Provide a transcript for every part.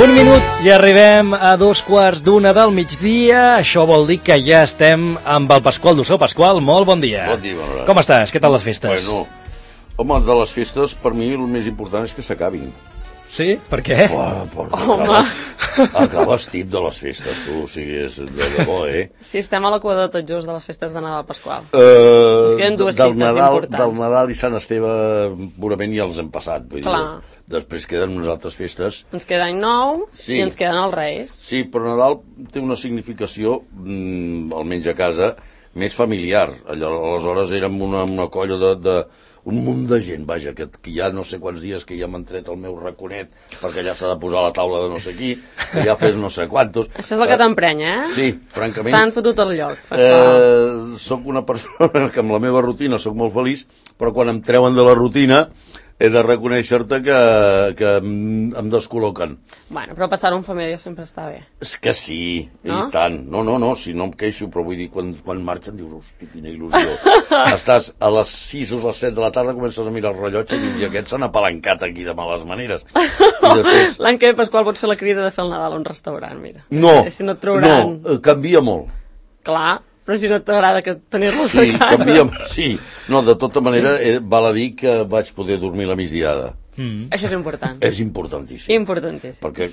Un minut i arribem a 2:15 del migdia. Això vol dir que ja estem amb el Pasqual Dussó. Pasqual, molt bon dia. Bon dia, Manuel. Com estàs? Què tal les festes? Bueno, home, de les festes, per mi el més important és que s'acabin. Sí? Per què? Acabes tip de les festes, tu, o sigui, és de debò, Sí, estem a la cua de tot just de les festes de Nadal, Pasqual. Ens queden dues cites importants. Del Nadal i Sant Esteve purament ja els hem passat. Vull Clar. dir, després queden unes altres festes. Ens queda Any Nou Sí. i ens queden els Reis. Sí, però Nadal té una significació, almenys a casa, més familiar. Aleshores érem una colla un munt de gent, vaja, que ja no sé quants dies que ja m'han tret el meu raconet perquè ja s'ha de posar a la taula de no sé qui, que ja fes no sé quantos. Això és el que t'emprenya, Sí, francament. T'han fotut el lloc, Pasqual. Soc una persona que amb la meva rutina soc molt feliç, però quan em treuen de la rutina he de reconèixer-te que em descol·loquen. Bueno, però passar-ho en família sempre està bé. És que sí, No? i tant. No, si no em queixo, però vull dir, quan marxen dius, hosti, quina il·lusió. Estàs a les 6 o a les 7 de la tarda, comences a mirar el rellotge i dius, i aquest s'han apalancat aquí de males maneres. I després... L'any que ve, Pasqual, pots fer la crida de fer el Nadal a un restaurant, mira. No, Si no et trauran... canvia molt. Clar, però si no t'agrada que tenir-los Sí, a casa... sí. No, de tota manera, val a dir que vaig poder dormir la migdiada. Això és important. És importantíssim. Importantíssim. Perquè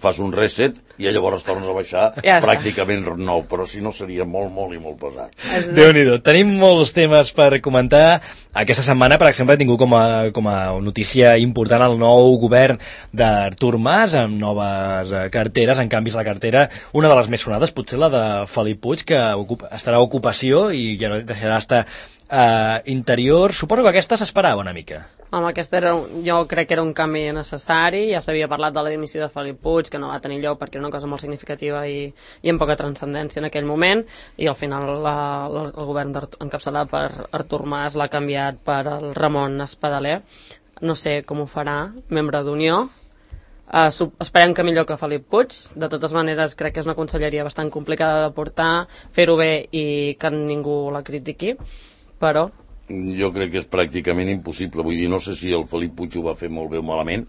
fas un reset i llavors tornes a baixar Ja està. pràcticament nou, però si no seria molt, molt i molt pesat. Déu-n'hi-do. Tenim molts temes per comentar. Aquesta setmana, per exemple, he tingut com a notícia important el nou govern d'Artur Mas, amb noves carteres, en canvis a la cartera, una de les més sonades, potser la de Felip Puig, que estarà a ocupació i ja no deixarà estar interior. Suposo que aquesta s'esperava una mica. Home, jo crec que era un canvi necessari. Ja s'havia parlat de la dimissió de Felip Puig, que no va tenir lloc perquè era una cosa molt significativa i amb poca transcendència en aquell moment, i al final el govern encapçalat per Artur Mas l'ha canviat per el Ramon Espadaler. No sé com ho farà, membre d'Unió. Esperem que millor que Felip Puig. De totes maneres, crec que és una conselleria bastant complicada de portar, fer-ho bé i que ningú la critiqui, però... Jo crec que és pràcticament impossible. Vull dir, no sé si el Felip Puig ho va fer molt bé o malament.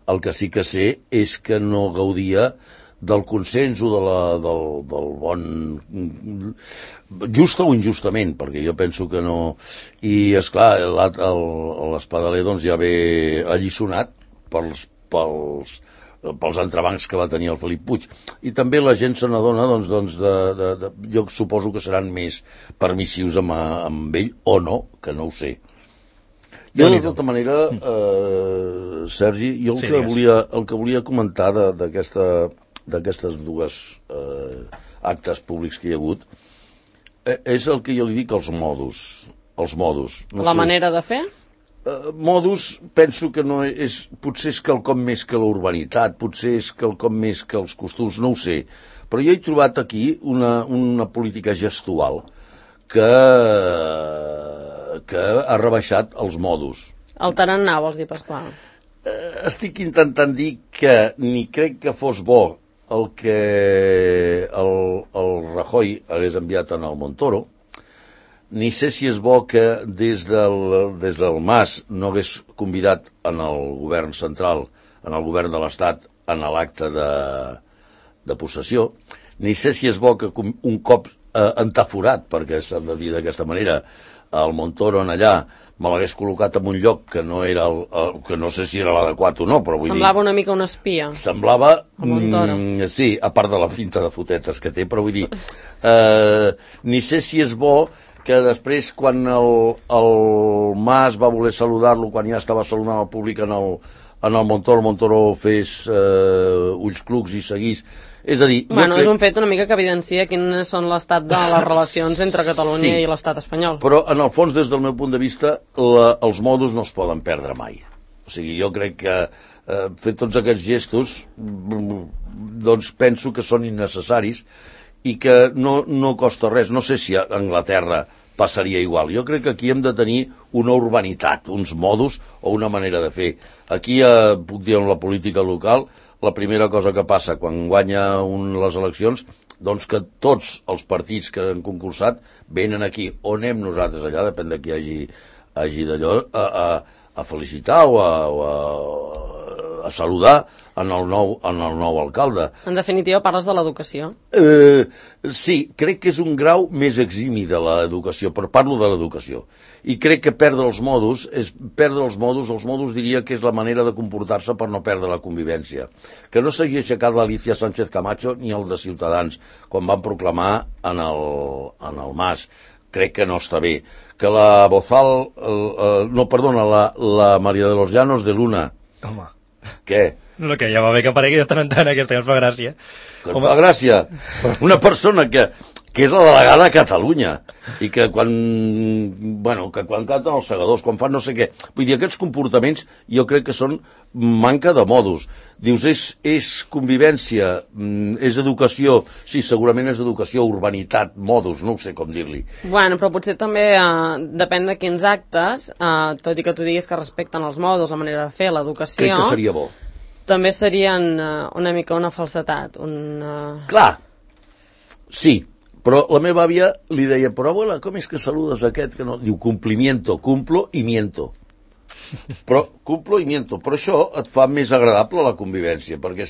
El que sí que sé és que no gaudia del consens o del bon... Just o injustament, perquè jo penso que no... I, esclar, l'Espadaler doncs, ja ve alliçonat pels entrebancs que va tenir el Felip Puig. I també la gent se n'adona, jo suposo que seran més permissius amb ell, o no, que no ho sé. Jo, de tota manera, Sergi, jo el que volia comentar d'aquestes dues actes públics que hi ha hagut és el que jo li dic, els modus. La manera de fer? Modus, penso que no és... Potser és quelcom més que la urbanitat, potser és quelcom més que els costums, no ho sé. Però jo he trobat aquí una política gestual que ha rebaixat els modus. El tarannà, vols dir, Pasqual? Estic intentant dir que ni crec que fos bo el que el Rajoy hagués enviat en el Montoro, ni sé si és bo que des del Mas no hagués convidat en el govern central, en el govern de l'Estat, en l'acte de possessió, ni sé si és bo que un cop entaforat, perquè s'ha de dir d'aquesta manera, el Montoro en allà me l'hagués col·locat en un lloc que no era que no sé si era l'adequat o no, però vull dir... Semblava una mica un espia. Semblava... El Montoro. Sí, a part de la finta de fotetes que té, però vull dir... ni sé si és bo que després, quan el Mas va voler saludar-lo, quan ja estava saludant el públic en el Montoro fes ulls clucs i seguís. És a dir... Bueno, és un fet una mica que evidencia quin són l'estat de les relacions entre Catalunya i l'estat espanyol. Però, en el fons, des del meu punt de vista, els modus no es poden perdre mai. O sigui, jo crec que fer tots aquests gestos, doncs penso que són innecessaris i que no costa res. No sé si a Anglaterra passaria igual. Jo crec que aquí hem de tenir una urbanitat, uns modus o una manera de fer. Aquí, puc dir, en la política local, la primera cosa que passa quan guanya les eleccions, doncs que tots els partits que han concursat venen aquí, o anem nosaltres allà, depèn de qui hagi d'allò, a felicitar o a a saludar en el nou alcalde. En definitiva, parles de l'educació. Sí, crec que és un grau més eximi de l'educació, però parlo de l'educació. I crec que perdre els modos, els modos diria que és la manera de comportar-se per no perdre la convivència. Que no s'hagi aixecat l'Alicia Sánchez Camacho ni el de Ciutadans, quan van proclamar en el Mas. Crec que no està bé. Que la Bozal, la María de los Llanos de Luna. Home. Què? No, que ja va bé que aparegui de tant en tant, aquesta que ens fa gràcia. Que em fa gràcia. Una persona que és la delegada a Catalunya i que quan canten els segadors, quan fan no sé què, vull dir, aquests comportaments jo crec que són manca de modus. Dius, és convivència, és educació, sí, segurament és educació, urbanitat, modus, no ho sé com dir-li. Bueno, però potser també depèn de quins actes, tot i que tu diguis que respecten els modus, la manera de fer, l'educació... Crec que seria bo. També serien una mica una falsetat, Clar, sí, però la meva àvia li deia, però abuela, com és que saludes aquest? Que no? Diu, cumplimiento, cumplo i miento. Però això et fa més agradable la convivència, perquè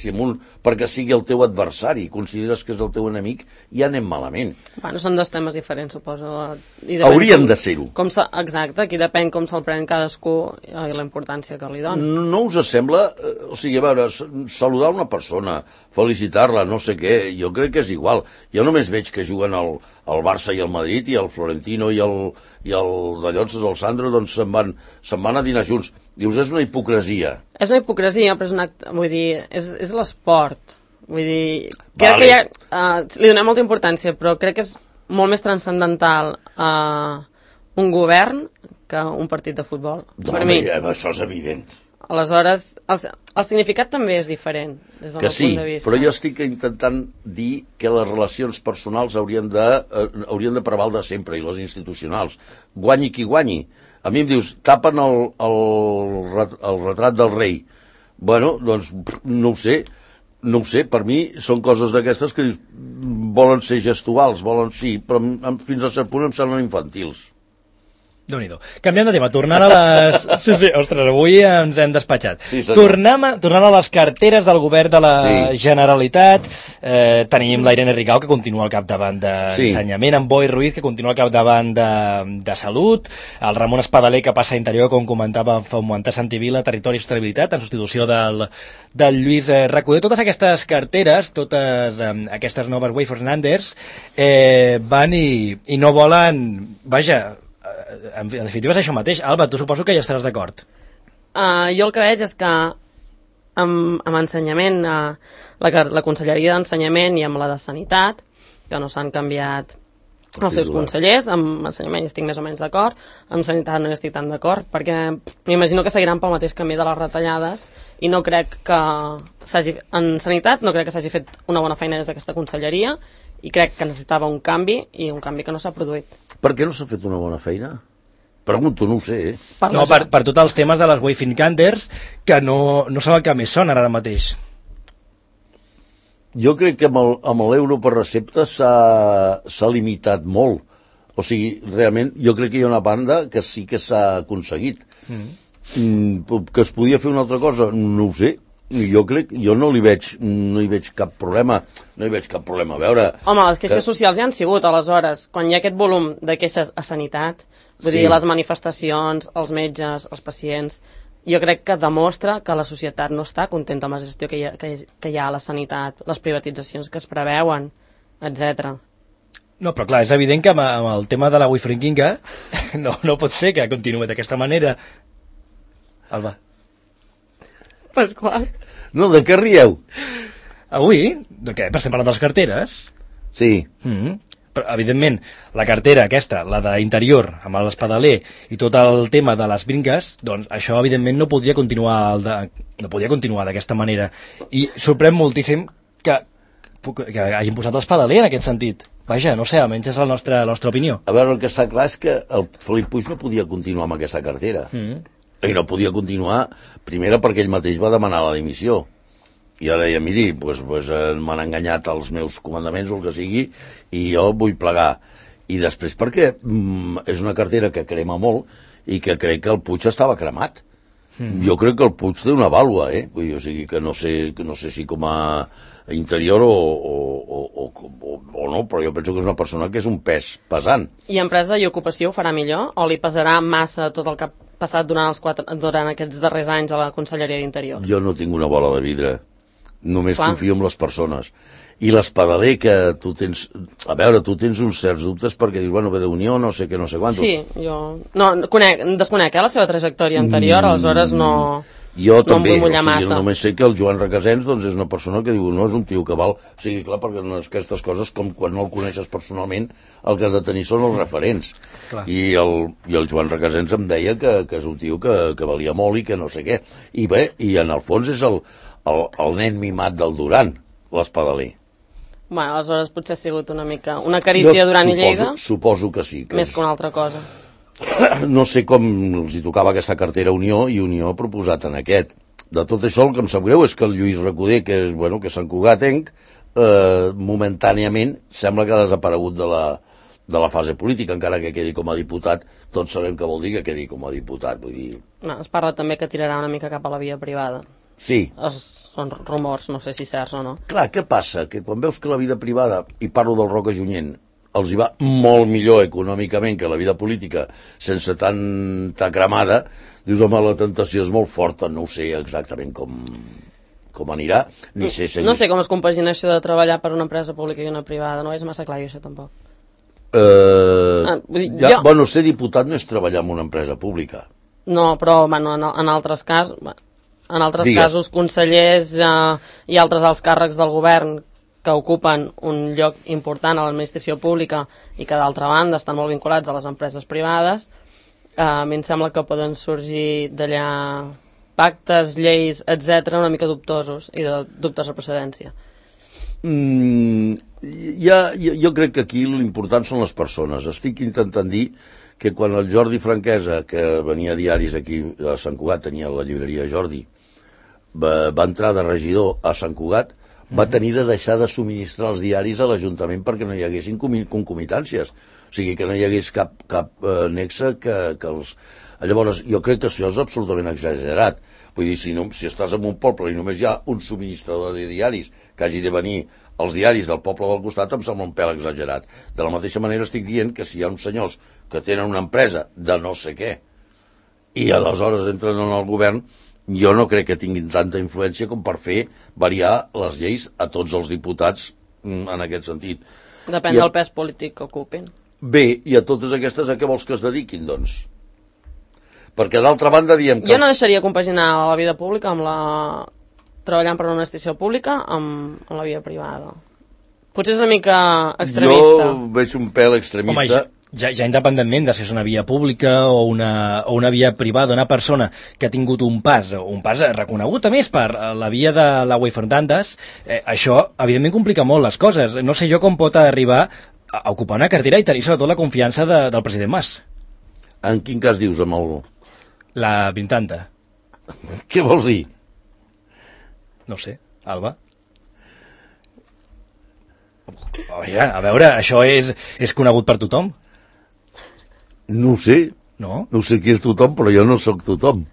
perquè sigui el teu adversari, consideres que és el teu enemic, ja anem malament. Bueno, són dos temes diferents, suposo. Haurien de ser-ho. Exacte, aquí depèn com se'l pren cadascú i la importància que li dona. No us sembla, o sigui, a veure, saludar una persona, felicitar-la, no sé què, jo crec que és igual. Jo només veig que juguen el Barça i el Madrid i el Florentino i el de Llonses, el Sandro, doncs se'n van a dinar junts. Dius, és una hipocresia. És una hipocresia, però és un acte, vull dir, és l'esport. Vull dir, crec vale. que li donem molta importància, però crec que és molt més transcendental un govern que un partit de futbol. Per mi. Això és evident. Aleshores, el significat també és diferent, des del meu punt de vista. Però jo estic intentant dir que les relacions personals haurien de prevaldre sempre, i les institucionals. Guanyi qui guanyi. A mi em dius, tapen el retrat del rei. Bueno, doncs, no ho sé, per mi són coses d'aquestes que volen ser gestuals, però fins a cert punt em semblen infantils. Déu-n'hi-do. Canviant de tema, tornant a les... Sí, ostres, avui ens hem despatxat. Sí, tornant a les carteres del govern de la Generalitat, tenim la Irene Rigau, que continua al capdavant d'Ensenyament, en Boi Ruiz, que continua al capdavant de Salut, el Ramon Espadaler, que passa a Interior, com comentava fa un moment, a Santivila, Territori i Estabilitat, en substitució del Lluís Recoder. Totes aquestes carteres, totes aquestes noves Way Fernanders, van i no volen... Vaja, en definitiva és això mateix. Alba, tu suposo que ja estaràs d'acord. Jo el que veig és que amb ensenyament, la Conselleria d'Ensenyament i amb la de Sanitat, que no s'han canviat els seus consellers, amb ensenyament hi estic més o menys d'acord, amb Sanitat no hi estic tan d'acord, perquè m'imagino que seguiran pel mateix camí de les retallades i no crec que en Sanitat no crec que s'hagi fet una bona feina des d'aquesta conselleria i crec que necessitava un canvi i un canvi que no s'ha produït. Per què no s'ha fet una bona feina? Pregunto, no ho sé, per tots els temes de les Wayfinders que no són el que més són ara mateix. Jo crec que amb l'euro per recepta s'ha limitat molt. O sigui, realment, jo crec que hi ha una banda que sí que s'ha aconseguit. Que es podia fer una altra cosa, no ho sé. Jo no hi veig cap problema. No hi veig cap problema. A veure... Home, les queixes socials ja han sigut, aleshores. Quan hi ha aquest volum de queixes a Sanitat, vull dir, les manifestacions, els metges, els pacients... Jo crec que demostra que la societat no està contenta amb la gestió que hi ha a la sanitat, les privatitzacions que es preveuen, etc. No, però clar, és evident que amb el tema de la Wifringinga no pot ser que continuï d'aquesta manera. Alba. Pasqual. No, de què rieu? Avui? De què? Estem parlant de les carteres? Sí. Però, evidentment, la cartera aquesta, la d'Interior, amb l'Espadaler i tot el tema de les brinques, doncs això, evidentment, no podria continuar d'aquesta manera. I sorprèn moltíssim que hagin posat l'Espadaler en aquest sentit. Vaja, no sé, almenys és la nostra opinió. A veure, el que està clar és que el Felip Puig no podia continuar amb aquesta cartera. I no podia continuar, primera perquè ell mateix va demanar la dimissió. I jo deia, miri, m'han enganyat els meus comandaments o el que sigui i jo vull plegar. I després perquè és una cartera que crema molt i que crec que el Puig estava cremat. Jo crec que el Puig té una vàlua, Vull dir, o sigui, que no sé si com a interior o no, però jo penso que és una persona que és un pes pesant. I Empresa i Ocupació ho farà millor o li pesarà massa tot el que ha passat durant aquests darrers anys a la Conselleria d'Interior? Jo no tinc una bola de vidre, només confio en les persones. I l'Espadaler, que tu tens... A veure, tu tens uns certs dubtes perquè dius, bueno, ve d'Unió, no sé què, no sé quant. Sí, jo... No, desconec la seva trajectòria anterior, aleshores no... Jo també, em vull mullar massa. Només sé que el Joan Requesens doncs, és una persona que diu, no és un tio que val... O sigui, clar, perquè aquestes coses, com quan no el coneixes personalment, el que has de tenir són els referents. I el Joan Requesens em deia que és un tio que valia molt i que no sé què. I bé, i en el fons és el nen mimat del Duran, l'Espadaler. Bueno, aleshores potser ha sigut una mica una carícia Duran i Lleida. Suposo que sí. Més que una altra cosa. No sé com els hi tocava aquesta cartera a Unió i Unió ha proposat en aquest. De tot això el que em sap greu és que el Lluís Recoder, que és Sant Cugatenc, momentàniament sembla que ha desaparegut de la fase política, encara que quedi com a diputat. Tots sabem què vol dir que quedi com a diputat. Vull dir... No, es parla també que tirarà una mica cap a la via privada. Sí. Són rumors, no sé si certs o no. Clar, què passa? Que quan veus que la vida privada, i parlo del Roca Junyent, els hi va molt millor econòmicament que la vida política, sense tanta cremada, dius, home, la tentació és molt forta, no ho sé exactament com anirà, ni sé... No sé com es compagina això de treballar per una empresa pública i una privada, no és massa clar això tampoc. Bueno, ser diputat no és treballar en una empresa pública. No, però bueno, en altres casos... En altres casos, consellers i altres alts càrrecs del govern que ocupen un lloc important a l'administració pública i que, d'altra banda, estan molt vinculats a les empreses privades, a mi em sembla que poden sorgir d'allà pactes, lleis, etc., una mica dubtosos i de dubtes de procedència. Jo crec que aquí l'important són les persones. Estic intentant dir que quan el Jordi Franquesa, que venia a diaris aquí a Sant Cugat, tenia la llibreria Jordi, va entrar de regidor a Sant Cugat, va tenir de deixar de subministrar els diaris a l'Ajuntament perquè no hi haguessin concomitàncies. O sigui, que no hi hagués cap nexe que els... Llavors, jo crec que això és absolutament exagerat. Vull dir, si estàs en un poble i només hi ha un subministrador de diaris que hagi de venir als diaris del poble del costat, em sembla un pèl exagerat. De la mateixa manera estic dient que si hi ha uns senyors que tenen una empresa de no sé què i aleshores entren en el govern, jo no crec que tinguin tanta influència com per fer variar les lleis a tots els diputats en aquest sentit. Depèn del pes polític que ocupin. Bé, i a totes aquestes a què vols que es dediquin, doncs? Perquè d'altra banda diem que... Jo no deixaria compaginar la vida pública amb treballant per una administració pública amb la via privada. Potser és una mica extremista. Jo veig un pèl extremista. Home, ja independentment de si és una via pública o una via privada, una persona que ha tingut un pas reconegut, a més, per la via de la Wayfront d'Andes, això, evidentment, complica molt les coses. No sé jo com pot arribar a ocupar una cartera i tenir sobretot la confiança del president Mas. En quin cas dius, amb el... La Brintanta. Què vols dir? No sé, Alba. A veure, això és conegut per tothom? No ho sé. No? No sé qui és tothom, però jo no sóc tothom.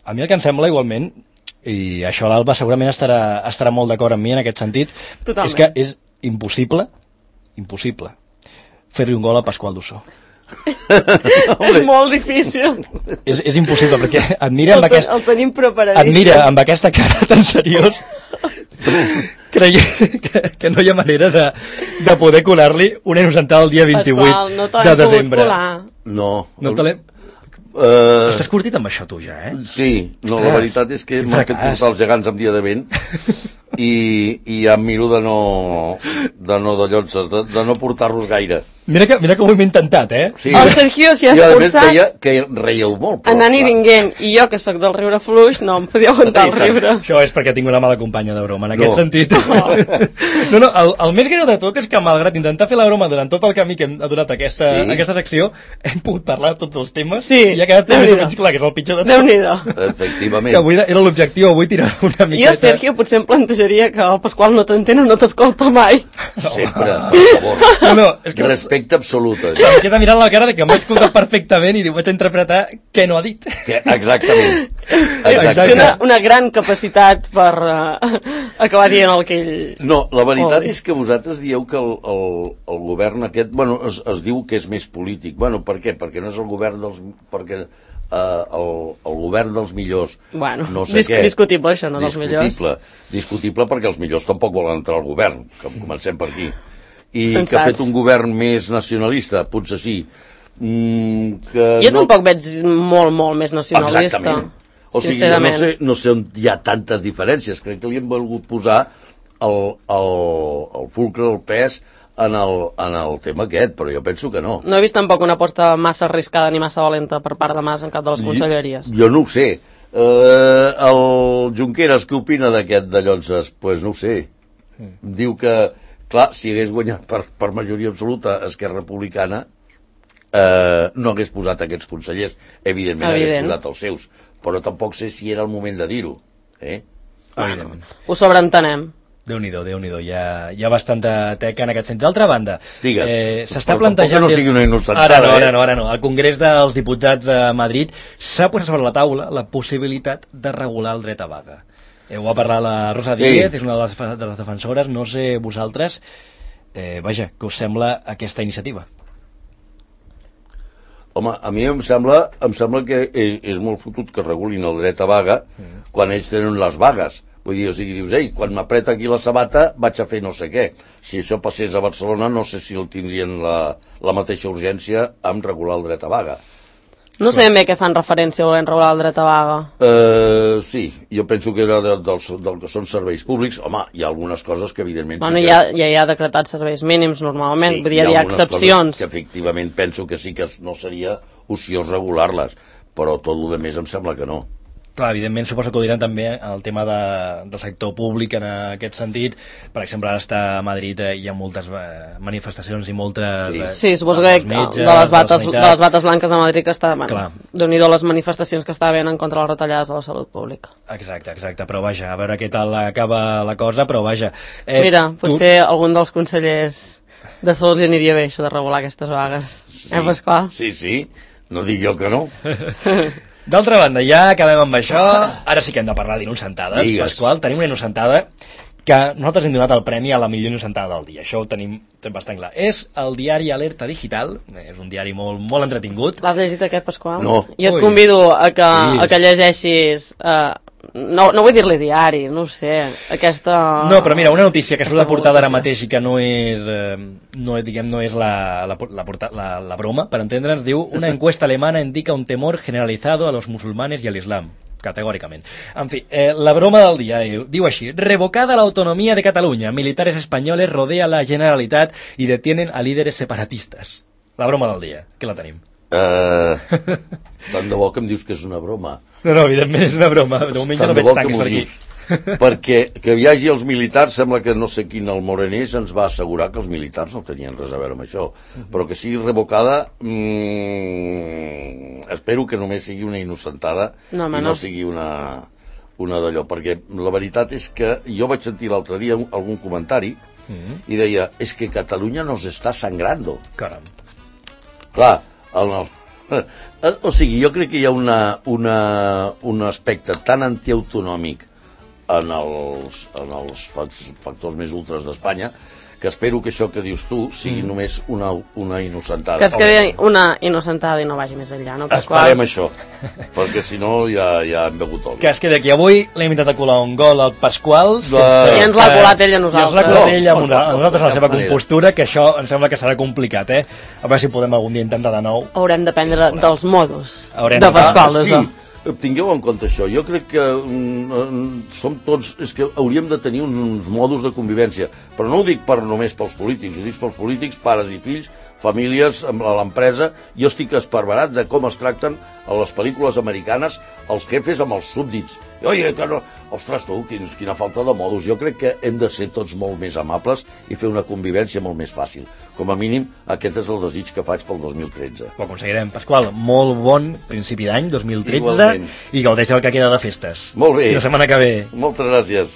A mi el que em sembla, igualment, i això l'Alba segurament estarà molt d'acord amb mi en aquest sentit, totalment. És que és impossible fer-li un gol a Pasqual Dussó. És molt difícil. És impossible, perquè et mira el tenim preparadíssim. Et mira amb aquesta cara tan seriós creient que no hi ha manera de poder colar-li una inocentada el dia 28 de desembre. No te l'hem... Estàs curtit amb això tu ja, Sí, no, la veritat és que m'han fet portar els gegants amb dia de vent i ja em miro de no portar-los gaire. Mira que ho hem intentat, Sí, el Sergio s'hi ha esforçat. I a més deia que reieu molt. Anant i vinguent, i jo que sóc del riure fluix no em podia aguantar el riure. Això és perquè tinc una mala companya de broma, en aquest sentit. No, el més greu de tot és que malgrat intentar fer la broma durant tot el camí que hem donat aquesta secció, hem pogut parlar de tots els temes i ha quedat més o menys clar que és el pitjor de tot. Déu-n'hi-do. Efectivament. Que avui era l'objectiu, avui tirar una miqueta. Jo, Sergio, potser em plantejaria que el Pasqual no t'entén o no t'escolta mai. Sempre, per favor. No, és que respecte absolut. Em queda mirant la cara de que m'ha escoltat perfectament i diu, vaig interpretar què no ha dit. Exactament. Té una gran capacitat per acabar dient el que ell... No, la veritat és que vosaltres dieu que el govern aquest, bueno, es diu que és més polític. Bueno, per què? Perquè no és el govern dels... Perquè el govern dels millors, bueno, no sé què. Discutible això, no dels millors. Discutible perquè els millors tampoc volen entrar al govern, que comencem per aquí. I Sensats. Que ha fet un govern més nacionalista, potser sí. Jo tampoc veig molt més nacionalista. Exactament. O sigui, no sé on hi ha tantes diferències. Crec que li hem volgut posar el fulcre, el pes en el tema aquest, però jo penso que no. No he vist tampoc una aposta massa arriscada ni massa valenta per part de Mas en cap de les conselleries. Jo no ho sé. El Junqueras, què opina d'aquest de Llonses? Pues no ho sé. Diu que, clar, si hagués guanyat per majoria absoluta Esquerra Republicana, no hagués posat aquests consellers. Evidentment hagués posat els seus, però tampoc sé si era el moment de dir-ho. Bueno, ho sobreentenem. Déu-n'hi-do, hi ha bastanta teca en aquest sentit. D'altra banda, s'està plantejant... no sigui una innocentada. Ara no. Al Congrés dels Diputats de Madrid s'ha posat sobre la taula la possibilitat de regular el dret a vaga. Ho ha parlat la Rosa Díez, és una de les defensores. No sé vosaltres, vaja, què us sembla aquesta iniciativa? Home, a mi em sembla que és molt fotut que regulin el dret a vaga quan ells tenen les vagues. Vull dir, o sigui, dius, ei, quan m'apreta aquí la sabata vaig a fer no sé què. Si això passés a Barcelona no sé si el tindrien la mateixa urgència amb regular el dret a vaga. No sé ben bé què fan referència volent regular el dret a vaga. Sí, jo penso que era del que són serveis públics. Home, hi ha algunes coses que evidentment... Bueno, ja hi ha decretat serveis mínims normalment, vull dir, hi ha excepcions. Que efectivament penso que sí que no seria ociós regular-les, però tot el més em sembla que no. Clar, evidentment, suposo que ho diran també el tema del sector públic en aquest sentit. Per exemple, ara està a Madrid, hi ha moltes manifestacions i moltes... Sí, suposo que de les bates blanques a Madrid que està... Bueno, Déu-n'hi-do les manifestacions que està havent en contra les retallades de la salut pública. Exacte, però vaja, a veure què tal acaba la cosa, però vaja... Mira, potser algun dels consellers de salut li aniria bé això de regular aquestes vagues. Pasqual? Sí, no dic jo que no. D'altra banda, ja acabem amb això. Ara sí que hem de parlar d'innocentades, Pasqual. Tenim una innocentada que nosaltres hem donat el premi a la millor innocentada del dia. Això ho tenim bastant clar. És el diari Alerta Digital. És un diari molt entretingut. L'has llegit aquest, Pasqual? No. Jo et convido a que llegeixis... No vull dir-li diari, no ho sé, aquesta... No, però mira, una notícia que surt de portada ara mateix i que no és la broma, per entendre'ns, diu: una encuesta alemana indica un temor generalizado a los musulmanes y al islam. Categòricament. En fi, la broma del dia diu així: revocada la autonomía de Cataluña, militares españoles rodean la Generalitat y detienen a líderes separatistas. La broma del dia, que la tenim. Tant de bo que em dius que és una broma. No, evidentment és una broma. De moment ja no veig tancs per aquí. Perquè que hi hagi els militars, sembla que no sé quin, el Morenés ens va assegurar que els militars no tenien res a veure amb això. Però que sigui revocada, espero que només sigui una innocentada i no sigui una d'allò. Perquè la veritat és que jo vaig sentir l'altre dia algun comentari i deia, és que Catalunya nos està sangrando. Caram. Clar, o sigui, jo crec que hi ha un aspecte tan antiautonòmic en els factors més ultres d'Espanya que espero que això que dius tu sigui només una innocentada. Que es quedi una innocentada i no vagi més enllà, no? Esperem això, perquè si no ja hem begut oli. Que es quedi aquí. Avui l'hem intentat colar un gol al Pasqual. I ens l'ha colat ell a nosaltres. I ens l'ha colat ell a nosaltres a la seva compostura, que això em sembla que serà complicat, A veure si podem algun dia intentar de nou. Haurem d'aprendre dels modos de Pasqual. Sí, tingueu en compte això. Jo crec que som tots... És que hauríem de tenir uns modos de convivència. Però no ho dic només pels polítics, ho dic pels polítics, pares i fills, famílies, a l'empresa. Jo estic esparverat de com es tracten a les pel·lícules americanes els jefes amb els súbdits. Oye, que no... Ostres, tu, quina falta de modos. Jo crec que hem de ser tots molt més amables i fer una convivència molt més fàcil. Com a mínim, aquest és el desig que faig pel 2013. Ho aconseguirem. Pasqual, molt bon principi d'any, 2013, igualment. I gaudeix el que queda de festes. Molt bé. Fins la setmana que ve. Moltes gràcies.